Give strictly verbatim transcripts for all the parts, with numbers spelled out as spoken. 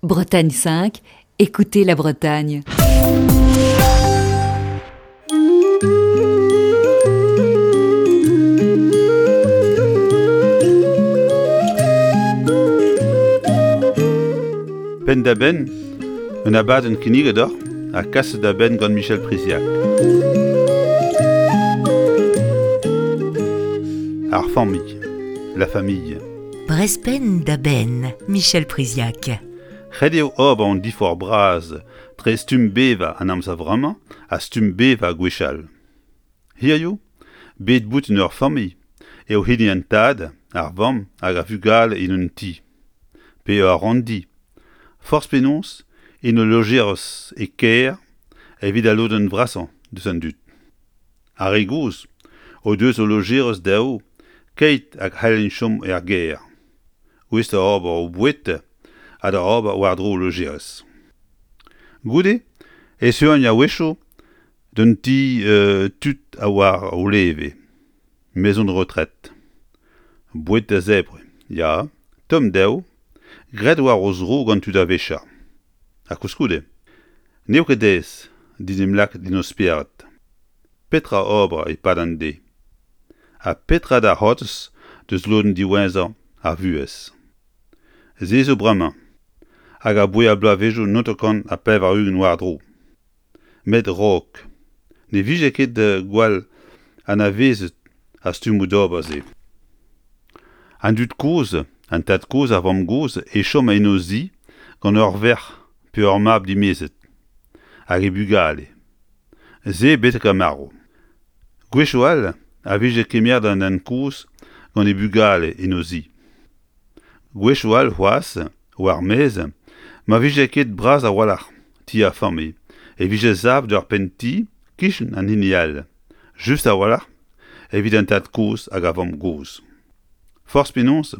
Bretagne cinq, écoutez la Bretagne. Penn-da-benn, un abadenn kinniget deoc'h ha kaset da benn gant Michel Priziac. Ar familh, la famille. Brezh penn da benn, Michel Priziac. Ret eo ober an diforc'h bras tre stumm bevañ an amzer vremañ ha stumm bevañ gwechall. Hiziv, bet boutin ur familh eo hini an tad, ar vamm hag ar vugale en un ti. Pe ur ranndi. Forzh penaos en ul lojerez e kêr evit al lodenn vrasañ deus an dud. Ar re gozh o deus o lojerez dezho keit hag c'hellint chom er gêr. Gouest da ober o boued ha da ober war-dro o lojerez. Goude e teuont a-wechoù d'un ti euh, tud a war o leve, maison de retraite. Boued da zebriñ, ya, tomm dezho, graet war o zro gant tud a-wechoù. Ha koulskoude, n'eo ket aes d'en em lakaat en o spered. Petra ober e-pad an deiz ? Ha petra da c'hortoz deus lodenn diwezhañ ar vuhez ? Se zo bremañ, hag aboae ar bloavezhioù hanter-kant ha pevar-ugent war-dro. Met a-raok, ne vije ket gwall anavezet ar stummoù d'ober-se. An dud kozh, an tad-kozh ar vamm-gozh e chom en o zi gant ur verc'h pe ur mab dimezet, hag e bugale. Se betek ar marv. Gwechoù all a vije kemeret an den kozh gant e bugale en o zi. Gwechoù all c'hoazh, war maez, ma vije ket bras a-walc'h ti ar familh, e vije savet ur penn-ti kichen an hini all, just a-walc'h evit an tad-kozh hag ar vamm-gozh. Forzh penaos,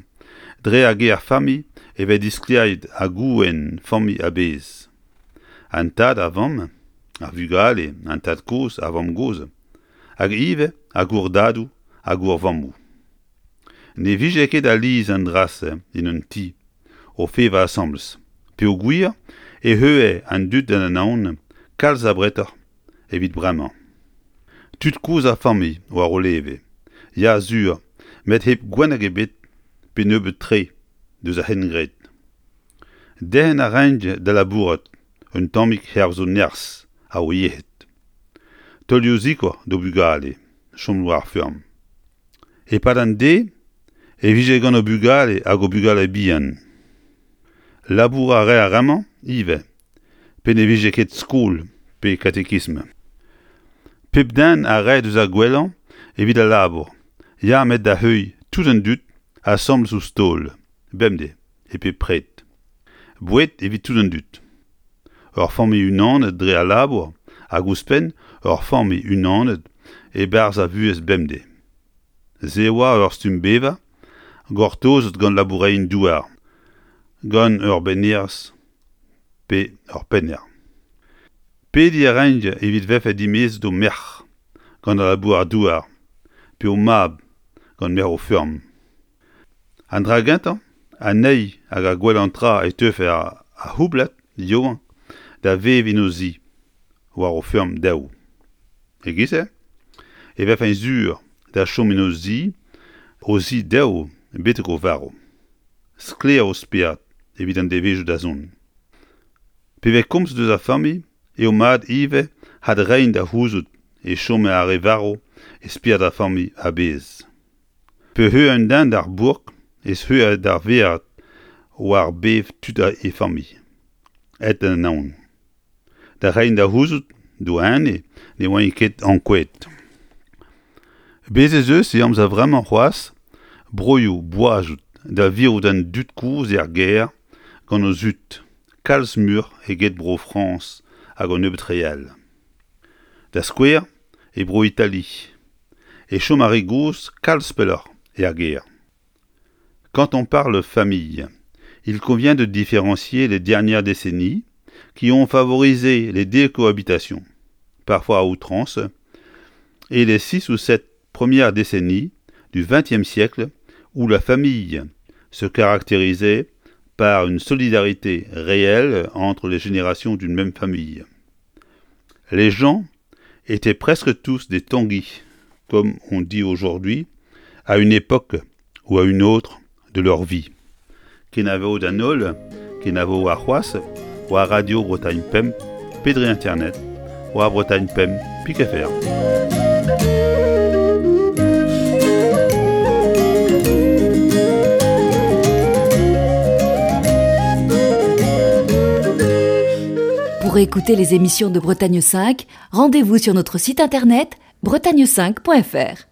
dre ar ger familh e vez disklêriet ar gouenn familh a-bezh. An tad, ar vamm, ar vugale, an tad-kozh, ar vamm-gozh, hag ivez ar gourdadoù ha gourvammoù. Ne vije ket alies an dra-se en un ti, o vevañ asambles, peogwir e teue an dud d'an anaon kalz abretoc'h evit bremañ. Tud kozh ar familh war o leve, ya sur, met hep gwenneg ebet pe nebeut-tre deus ar c'hengred. Derc'hen a raint da labourat un tammig hervez o nerzh ha o yec'hed. Taolioù sikour d'o bugale, chom war ar feurm. E-pad an deiz e vije gant o bugale hag o bugale bihan. Labour a rae ar re-mañ ivez, pe ne vije ket skol pe katekism. Pep den a rae deus ar gwellañ evit al labour, ya met da heuilh tout an dud asambles ouzh taol, bemdez, e pep pred. Boued evit tout an dud. Ur familh unanet dre al labour hag ouzhpenn ur familh unanet e-barzh ar vuhez bemdez. Se oa ur stumm bevañ gortozet gant labourerien-douar, gant ur bennhêrez pe ur pennhêr. Pediñ a raint evit vefe dimezet o merc'h gant al labourer-douar pe o mab gant merc'h o feurm. An dra gentañ, anezhi hag ar gwellañ tra e teufe ar c'houblad yaouank da vevañ en o zi, war o feurm dezho. E-giz-se e vefent sur da chom en o zi, o zi dezho betek o varv. Sklaer o spered evit an devezhioù da zont. Pe vez komz deus ar familh eo mat ivez adreiñ da c'houzout e chome ar re varv e spered ar familh a-bezh. Pe c'heu un den d'ar bourk e zeu d'ar vered war bez tud e familh, aet d'an anaon. Da reiñ da c'houzout d'o ene ne oant ket ankouaet. Bez' ez eus e amzer vremañ c'hoazh broioù boazet da virout an dud kozh er gêr gant o zud, kalz muioc'h eget Bro-Frañs hag un nebeud re all. Da skouer, e Bro-Itali, e chom ar re gozh kalz pelloc'h er gêr. Quand on parle famille, il convient de différencier les dernières décennies qui ont favorisé les décohabitations, parfois à outrance, et les six ou sept premières décennies du vingtième siècle où la famille se caractérisait par une solidarité réelle entre les générations d'une même famille. Les gens étaient presque tous des Tanguy, comme on dit aujourd'hui, à une époque ou à une autre de leur vie. Kenavo d'an holl, kenavo warc'hoazh, war Radio Bretagne Pemp, pe dre internet, war Bretagne Pemp, pik F R. Pour écouter les émissions de Bretagne cinq, rendez-vous sur notre site internet bretagne cinq point F R.